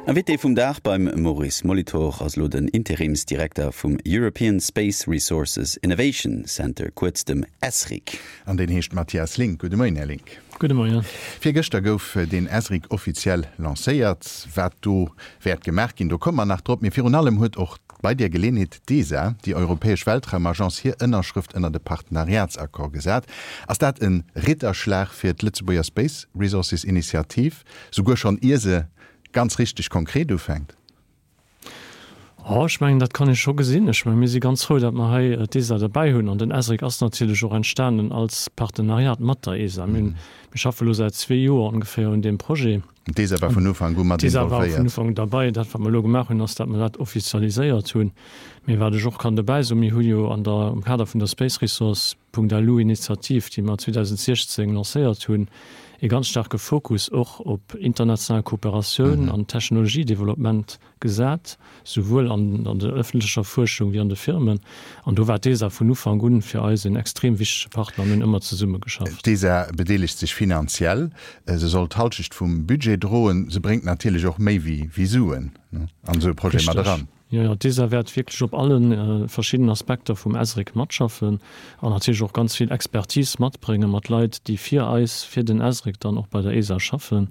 Invité vum Dag beim Maurice Molitor ass elo den Interimsdirekter vum European Space Resources Innovation Center, kuerz dem ESRIC. An deen heescht Mathias Link. Gudde Moien, Här Link. Gudde Moien. Virgëschter gouf deen ESRIC offiziell lancéiert. Wat do wäert gemaach ginn, do komme mer nach drop. Mee virun allem huet och bei där Geleenheet d'ESA, déi europäesch Weltraumagence, hir Ënnerschrëft ënnert e Partenariatsaccord gesat. Ass dat e Ritterschlag fir d'Lëtzebuerger Space Resources Initiativ, souguer schonn ier se ganz richteg konkret ufänkt? Oh, ech mengen, dat kann ee scho gesinn. Ech mengen, mir si ganz frou, datt mer hei d'ESA derbäi hunn. An den ESRIC ass natierlech och entstanen als Partenariat mat der ESA. Mir hunn, mir schaffe elo säit zwee Joer ongeféier un deem Projet. D'ESA war vun Ufank u mat D'ESA war vun involvéiert. Ufank derbäi. Dat, wat mer elo gemaach hunn, ass, datt mer dat offizialiséiert hunn. Mee wat ech och kann dobäi soen, Mir hu jo an der, am Kader vun der Space Resource Punkt-LU Initiativ, déi mer 2016 lancéiert hunn, ee ganz staarke Fokus och op international Kooperatioun an Technologiedeveloppement gesat, souwuel an der ëffentlecher Fuerschung wéi an de Firmen. An do war d'ESA vun Ufank un fir eis een extrem wichtege Partner a mir hunn ëmmer zesumme geschafft. D'ESA bedeelegt sech finanziell, se soll d'Halschecht vum Budget droen. Se bréngt natierlech och méi wéi Suen an esou e Projet mat eran. Jo, jo, d'ESA wäert wierklech op alle verschiddenen Aspekter vum ESRIC matschaffen an natierlech och ganz vill Expertise matbréngen, mat Leit, déi fir eis, fir den ESRIC dann och bei der ESA schaffen.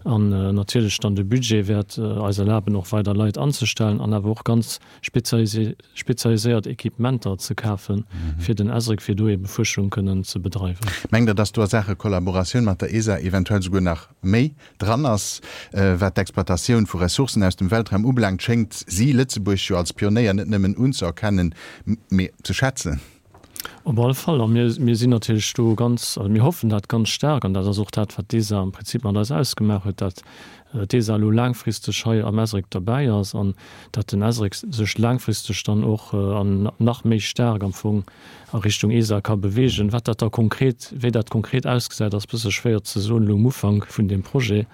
An natierlech dann de Budget wäert eis erlaben, och weider Leit anzestellen an awer och ganz spezialiséiert Equipementer ze kafen fir den ESRIC, fir do eebe Fuerschung kënnen ze bedreiwen. Mengt Der, dass do a Saache Kollaboratioun mat der ESA eventuell souguer nach méi dran ass. Wat d'Exploitatioun vu Ressourcen aus dem Weltraum ubelaangt, schéngt si Lëtzebuerg jo als Pionéier net nëmmen unzëerkennen, mee ze schätzen. Op alle Fall. A mir, mir sinn natierlech do ganz, also mir hoffen dat ganz staark, an dat ass och dat, wat d'ESA am Prinzip mat eis ausgemaach huet, dat d'ESA elo laangfristeg hei am ESRIC derbäi ass an dat den ESRIC sech laangfristeg dann och an nach méi staark am Fong a Richtung ESA ka beweegen. Wat dat da konkret, wéi dat konkret ausgesäit, ass bësse schwéier ze soen elo um Ufank vun deem Projet.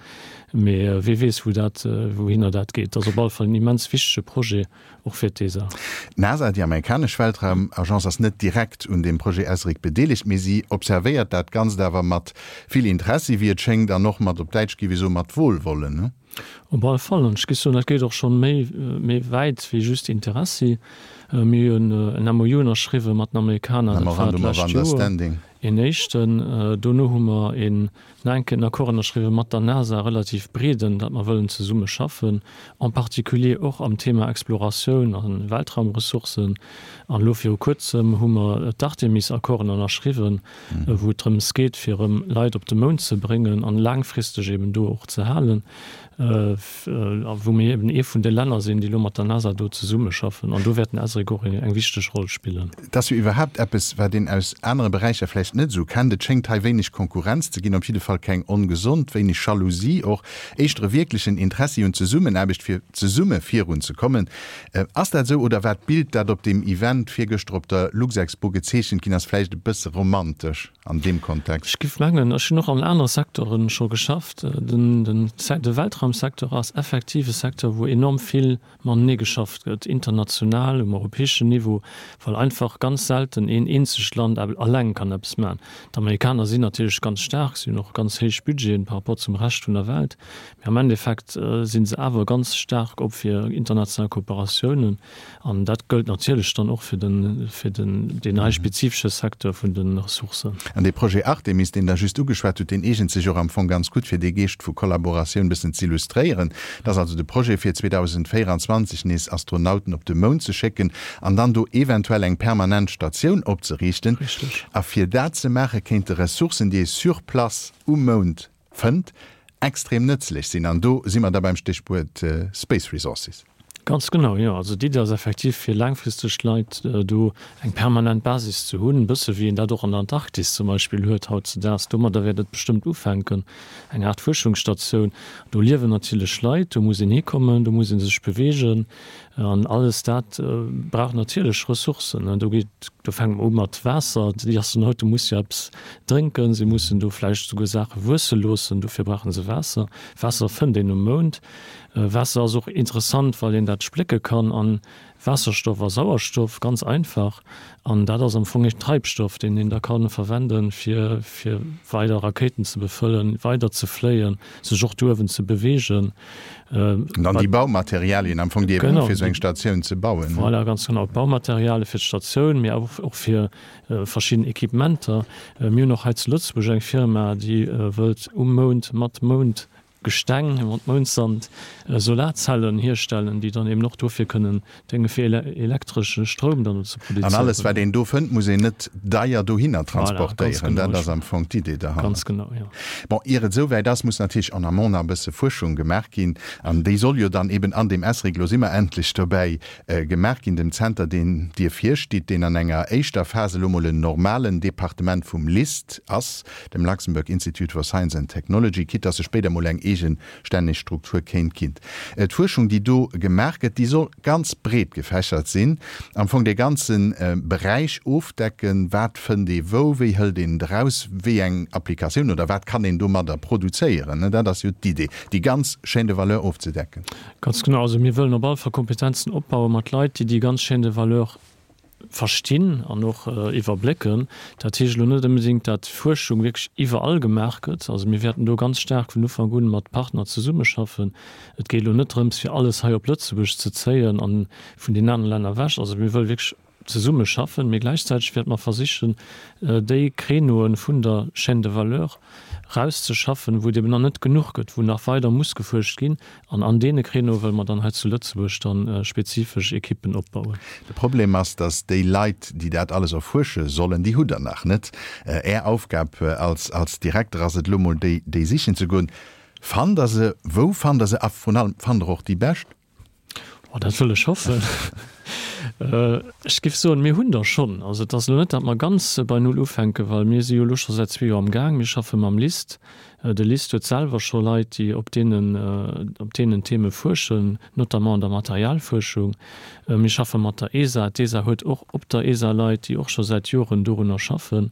Mee wee weess, wou dat, wouhinner dat geet. Et ass op alle Fall en immens wichtege Projet, och fir d'ESA. D'NASA, déi amerikanesch Weltraumagence, ass net direkt un deem Projet ESRIC bedeelegt, mee si observéiert dat Ganzt awer mat vill Interessi, wéi et schéngt, an och mat, op Däitsch géif ee soen, mat Wohlwollen. Op alle Fall. An ech géif soen, dat geet och schonn méi, méi wäit wéi just Interessi. Mir hunn en MOU ënnerschriwwen mat den Amerikaner, dat war Memorandum of d'lescht Joer, Understanding. een éischten. Dono hu mer een nach eng Kéier en Accord ënnerschriwwen mat der NASA, relativ breeden, datt mer wëllen zesumme schaffen, en particulier och am Thema Exploratioun a Weltraumressourcen. An elo viru Kuerzem hu mer d'Artemis-Accorden ënnerschriwwen, wou et drëms geet, fir erëm Leit op de Mound ze bréngen an laangfristeg eben do och ze halen, a wou mir eben ee vun de Länner sinn, déi elo mat der NASA do zesummeschaffen. An do wäert den ESRIC och eng wichteg Roll spillen. Et ass jo iwwerhaapt eppes, wat een aus anere Beräicher vläicht net esou kennt. Et schéngt hei wéineg Konkurrenz ze ginn, op jidde Fall keng ongesond, wéineg Jalousie och, éischter e wierklechen Interessi un Zesummenaarbecht, fir zesumme virunzekommen. Ass dat esou oder war d'Bild, dat op deem Event virgëschter op der Luxexpo gezeechent ginn ass, vläicht e bësse romantesch an deem Kontext? Ech giff mengen, ech hunn och an anere Secteuren scho geschafft, de Weltraumsecteur ass effektiv e Secteur, wou enorm vill matenee geschafft gëtt, international, um europäeschen Niveau, well einfach ganz selten een eenzegt Land alleng kann eppes maachen. D'Amerikaner sinn natierlech ganz staark, si hunn och ganz héich Budgeten par rapport zum Rescht vun der Welt, Mee am Endeffekt si se awer ganz staark op fir international Kooperatiounen. An dat gëllt natierlech dann och fir den, fir den, deen hei spezifesche Secteur vun de Ressourcen. An dee Projet Artemis, deen Der just ugeschwat hutt, deen eegent sech och am Fong ganz gutt, fir dee Geescht vu Kollaboratioun e bëssen z'illustréieren. Dat ass also de Projet, fir 2024 nees Astronauten op de Mound ze schécken an dann do eventuell eng permanent Statioun opzeriichten. Richtig. A fir dat ze maache kéinte Ressourcen, déi ee sur place um Mound fënnt, extrem nëtzlech sinn. An do si mer da beim Stéchwuert Space Resources. Ganz genau, jo. Also d'Iddi ass effektiv, fir laangfristeg d'Leit do eng permanent Basis ze hunn, e bësse wéi een dat och an der Antarktis zum Beispill huet hautzedaags. Domadder wäert et bestëmmt ufänken, eng Aart Fuerschungsstatioun. Do liewen natierlech Leit, do muss een hikommen, do muss ee sech beweegen. An alles dat brauch natierlech Ressourcen. Do geet, do fänke mer u mat Waasser. Déi Astronaute musse jo eppes drénken, si mussen do vläicht souguer Saache wuesse loossen, dofir brauche se Waasser. Waasser fënnt een um Mound. Waasser ass och interessant, well een dat splécke kann an Waasserstoff a Sauerstoff, ganz einfach. An dat ass am Fong ee Treibstoff, deen een da ka verwenden, fir fir weider Rakéiten ze befëllen, weider ze fléien, sech och do uewen ze beweegen. An dann déi Baumaterialien am Fong, déi ee brauch, fir esou eng Statioun ze bauen. Voilà, ganz genau. D'Baumaterialie fir d'Statioun, mee och fir verschidden Equipementer. Mir hunn och hei zu Lëtzebuerg eng Firma, déi wëllt um Mound mat Mound Gesteng mat Moundsand Solarzellen hierstellen, déi dann eben och dofir kënnen dénge fir elektresche Stroum dann do ze produzéieren. An alles wat een do fënnt, muss een net deier dohinner transportéieren. Dat ass am Fong d'Idee derhannert. Ganz genau, jo. Bon, ier et esou wäit ass, muss natierlech en amont nach e bësse Fuerschung gemaach ginn. An déi soll jo dann eben an deem ESRIC, elo si mer endlech dobäi, gemaach ginn, dem Zenter, deen Dir virstitt, deen an enger éischter Phas elo mol en normalen Departement vum LIST ass, dem Luxembourg Institute for Science and Technology, quitte dass e spéider mol eng eegestänneg Struktur kéint ginn. D'Fuerschung, déi do gemaach gëtt, déi soll ganz breet gefächert sinn, am Fong dee ganze Beräich ofdecken, wat fënnt ee wou, wéi hëlt een et eraus, wéi eng Applikatioun oder wat kann een domadder produzéieren. Dat ass jo d'Idee, déi ganz Chaîne de valeur ofzedecken. Ganz genau. Also mir wëllen op alle Fall Kompetenzen opbaue mat Leit, déi déi ganz Chaîne de valeur verstinn an och iwwerblécken. Dat heescht elo net onbedéngt, datt Fuerschung wierklech iwwerall gemaach gëtt. Also mir wäerten do ganz staark vun Ufank un mat Partner zesummeschaffen. Et geet elo net drëms, fir alles hei op Lëtzebuerg ze zéien a vun den anere Länner ewech. Also mir wëlle wierklech zesummeschaffen, mee gläichzäiteg wäerte mer versichen, déi Créneaue vun der Chaîne de valeur rauszeschaffen, wou et eben nach net genuch gëtt, wou nach weider muss gefuerscht ginn. An an deene Créneaue wëlle mer dann hei zu Lëtzebuerg dann spezifesch Ekippen opbauen. De Problem ass, dass déi Leit, déi dat alles erfuersche sollen, déi hutt Der nach net. Är Aufgab als als Direkter ass et elo mol, déi déi sichen ze goen. Fannt Der se? Wou fannt Der se? A vrun allem, fannt Der och déi bescht? Oh, dat wëll ech hoffen. Ech géif soen, mir hunn der schonn. Also et ass elo net, datt mer ganz bei Null ufänken, well mir si jo elo scho säit zwee Joer am Gaang. Mir schaffe mam LIST. De LIST huet selwer scho Leit, déi op deenen, op deenen Theme fuerschen, notamment an der Materialfuerschung. Mir schaffe mat der ESA. D'ESA huet och op der ESA Leit, déi och scho säit Joren dorunner schaffen.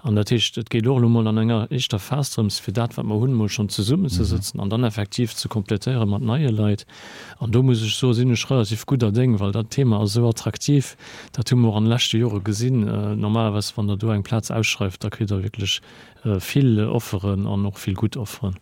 An dat heescht, et geet och elo mol an enger éischter Phas drëms, fir dat, wat mer hunn, mol schonn zesummenzesëtzen an dann effektiv ze kompletéiere mat neie Leit. An do muss ech soen, sinn ech relativ gudder Déng, well dat Thema ass esou attraktiv. Dat hu mer och an de leschte Jore gesinn. Normalerweis, wann Der do eng Plaz ausschreift, da kritt Der wierklech vill Offeren an och vill gutt Offeren.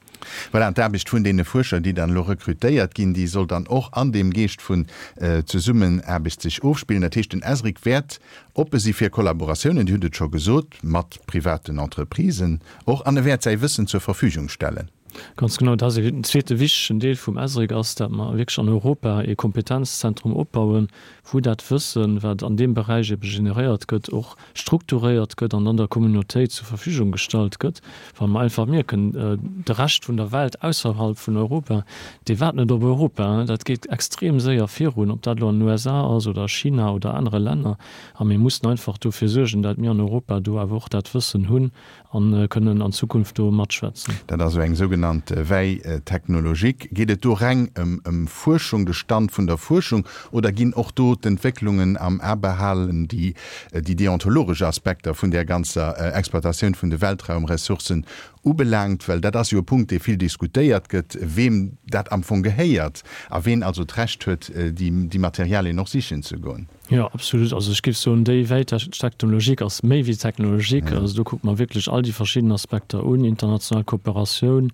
Voilà, an d'Aarbecht vun deene Fuerscher, déi dann elo rekrutéiert ginn, déi soll dann och an deem Geescht vun Zesummenaarbecht sech ofspillen. Dat heescht, den ESRIC wäert oppe si fir Kollaboratiounen, Dir hutt et scho gesot, mat privaten Entreprisen och, an e wäert säi Wëssen zur Verfügung stellen. Ganz genau, dat ass en zweete wichtegen Deel vum ESRIC ass, dat mer wierklech an Europa ee Kompetenzzentrum opbauen, wou dat Wëssen, wat an deem Beräich ebe generéiert gëtt, och strukturéiert gëtt an dann der Communautéit zur Verfügung gestallt gëtt, well mer einfach mierken, de Rescht vun der Welt ausserhalb vun Europa, dee waart net op Europa. Dat geet extrem séier virun, ob dat elo an den USA ass oder a China oder anere Länner. A mir mussen einfach dofir suergen, dat mir an Europa do awer och dat Wëssen hunn a kënnen an Zukunft do matschwätzen. Dat ass esou eng sougenannt Veille technologique. Geet et do reng ëm Fuerschung, de Stand vun der Fuerschung, oder ginn och do d'Entwécklungen am A behalen, déi déi deontologesch Aspekter vun där ganzer Exploitatioun vun de Weltraumressourcen ubelaangt? Well dat ass jo e Punkt, dee vill diskutéiert gëtt, weem dat am Fong gehéiert a ween also d'Recht huet, déi Materialien och sichen ze goen. Jo, absolut. Also ech géif soen, déi Veille technologique ass méi wéi technologique. Also do kucke mer wierklech all déi verschidden Aspekter un, international Kooperatioun,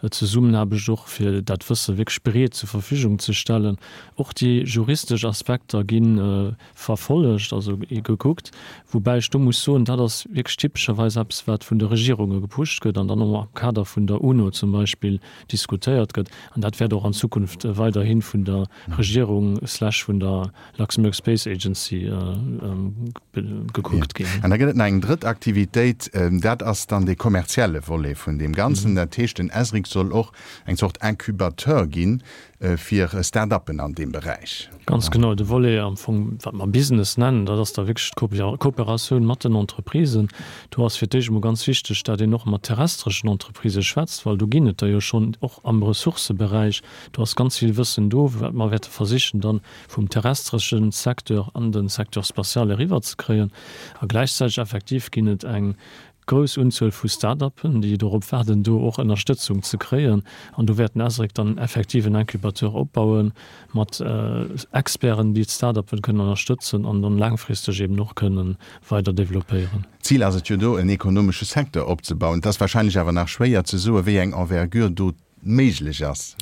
Zesummenaarbecht och, fir dat Wësse wierklech breet zur Verfügung ze stellen. Och déi juristesch Aspekter gi verfollegt, also gekuckt. Woubäi ech do muss soen, dat ass wierklech typescherweis eppes, wat vun de Regierunge gepusht gëtt an dann och am Kader vun der UNO zum Beispill diskutéiert gëtt. An dat wäert och an Zukunft weiderhi vun der Regierung slash vun der Luxembourg Space Agency gekuckt ginn. An da gëtt et nach eng drëtt Aktivitéit, dat ass dann dee kommerzielle Volet vun deem Ganzen. Dat heescht, den ESRIC. ESRIC soll och eng Zort Incubateur ginn fir Start-uppen an deem Beräich. Ganz genau, de Volet am Fong, wat mer Business nennen, dat ass da wierklech d'Kooperatioun mat den Entreprisen. Do ass fir d'éischt emol ganz wichteg, dat een och mat terrestreschen Entreprisë schwätzt, well do ginn et der jo schonn, och am Ressourcëberäich. Do ass ganz vill Wëssen do, wat mer wäerte versichen dann vum terrestresche Secteur an de Secteur spatial eriwwerzekréien. A gläichzäiteg effektiv ginn et eng grouss Unzuel vu Start-upen, déi dorop waarden, do och Ënnerstëtzung ze kréien. An do wäert den ESRIC dann effektiv en Incubateur opbauen mat Experten, déi d'Start-upen kënnen ënnerstëtzen an dann laangfristeg eben och kënnen weider developpéieren. Zil ass et jo do, en ekonomesche Secteur opzebauen. Et ass wahrscheinlech awer nach schwéier ze soen, wéi eng Envergure do méiglech ass.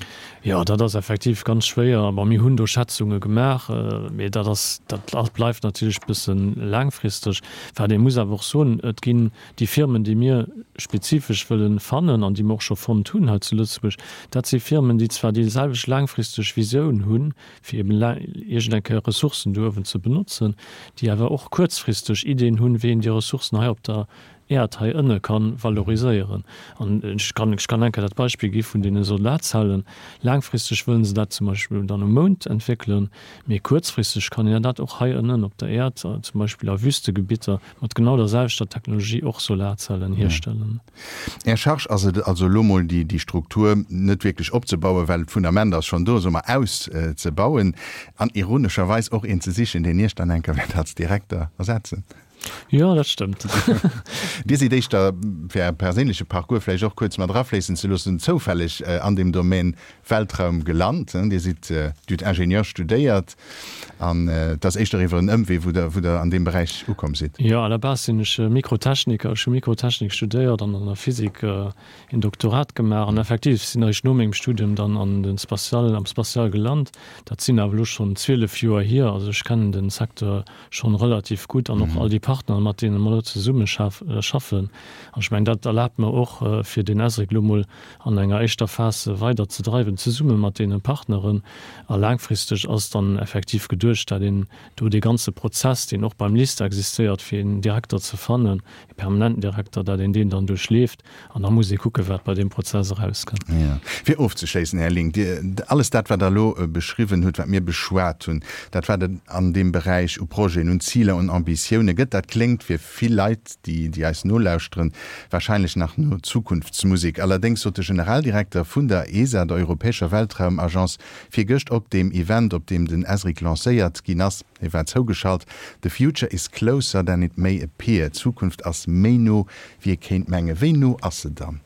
Jo, dat ass effektiv ganz schwéier. Bon, mir hunn do Schätzunge gemaach, mee dat ass, dat bleift natierlech e bësse laangfristeg. Wat ee muss awer och soen, Et ginn déi Firmen, déi mir spezifesch wëlle fannen an déi mir och scho fonnt hunn hei zu Lëtzebuerg, dat si Firmen, déi zwar déi selwecht laangfristeg Visioun hunn, fir eben iergend eng Kéier Ressourcen do uewen ze benotzen, déi awer och kuerzfristeg Ideen hunn, wéi een déi Ressourcen hei op der Äerd hei ënne ka valoriséieren. An ech kann, ech kann eng Kéier dat Beispill gi vun deene Solarzellen. Laangfristeg wëllen se dat zum Beispill dann um Mound entwéckelen, mee kuerzfristeg kann een dat och hei ënnen op der Äerd, zum Beispill a Wüstegebitter, mat genau der selwechter Technologie och Solarzellen hierstellen. Är Charge ass et also elo mol déi, déi Struktur net wierklech opzebauen, well d'Fundament ass schonn do, soe mer, auszebauen an ironescherweis och een ze sichen, deen Iech dann eng Kéier wäert als Direkter ersetzen. Jo, dat stëmmt. Dir sidd éischter, fir Äre perséinleche Parcours vläicht och kuerz mat erafléissen ze loossen, zoufälleg an deem Domaine Weltraum gelant. Dir sidd, Dir hutt Ingenieur studéiert an et ass éischter iwwer en Ëmwee, wou Der, wou Der an deem Beräich ukomm sidd. Jo, à la base sinn ech Mikrotechniker. Ech hu Mikrotechnik studéiert an an der Physik een Doktorat gemaach an effektiv sinn eréischt no mengem Studium dann an de Spatial, am Spatial gelant. Dat sinn awer elo schonn 12 Joer hier, also ech kennen den Secteur schonn relativ gutt an och all déi Partner, mat deene mer elo zesumme schaffen. An ech mengen, dat erlaabt mer och, fir deen ESRIC elo mol an enger éischter Phas weider ze dreiwen, zesumme mat deene Partneren. A laangfristeg ass dann effektiv geduecht, dat een do dee ganze Prozess, deen och beim LIST existéiert, fir een Direkter ze fannen, ee permanenten Direkter, dat een deen dann duerchleeft. An da muss ee kucken, wat bei deem Prozess erauskënnt. Jo. Fir ofzeschléissen, Här Link, Dir, alles dat, wat Der elo beschriwwen hutt, wat mir beschwat hunn, dat, wat et an deem Beräich u Projeten, un Ziler, un Ambitioune gëtt, dat kléngt fir vill Leit, déi, déi eis nolauschteren, wahrscheinlech nach no Zukunftsmusek. Allerdéngs sot de Generaldirekter vun der ESA, der Europäescher Weltraumagence, virgëscht op deem Event, op deem den ESRIC lancéiert ginn ass, Hie war zougeschalt, The future is closer than it may appear, d'Zukunft ass méi no, wéi ee kéint mengen. Wéi no ass se dann?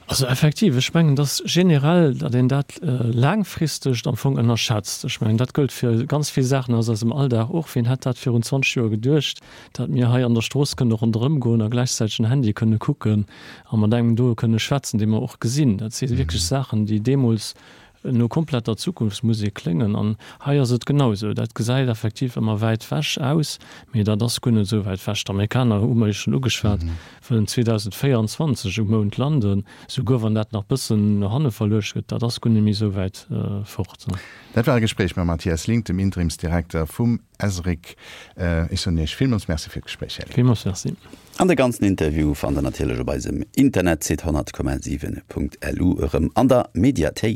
Also effektiv, ech mengen, dass generell, datt een dat laangfristegt am Fong ënnerschätzt. Ech mengen, dat gëllt fir ganz vill Saachen aus eisem Alldag och. Wien hätt dat virun 20 Joer geduecht, datt mir hei an der Strooss kënne ronderëm goen a gläichzäiteg en Handy kënne kucken a mat engem do kënne schwätzen, dee mer och gesinn. Dat si wierklech Saachen, déi deemools no kompletter Zukunftsmusek kléngen. An hei ass et genau esou. Dat gesäit effektiv ëmmer wäit wech aus, mee dat ass guer net esou wäit wech. D'Amerikaner, hu mer jo schonn ugeschwat, wëllen 2024 um Mound landen. Souguer wann dat nach bëssen no hanne verluecht gëtt, dat ass guer net méi esou wäit fort. Dat war e Gespréich mam Mathias Link, dem Interimsdirekter vum ESRIC. Ech soen Iech villmools Merci fir d'Gespréich, Här Link. Villmools Merci. An de ganzen Interview fannt der natierlech op eisem Internetsite 100,7.lu erëm an der Mediathéik.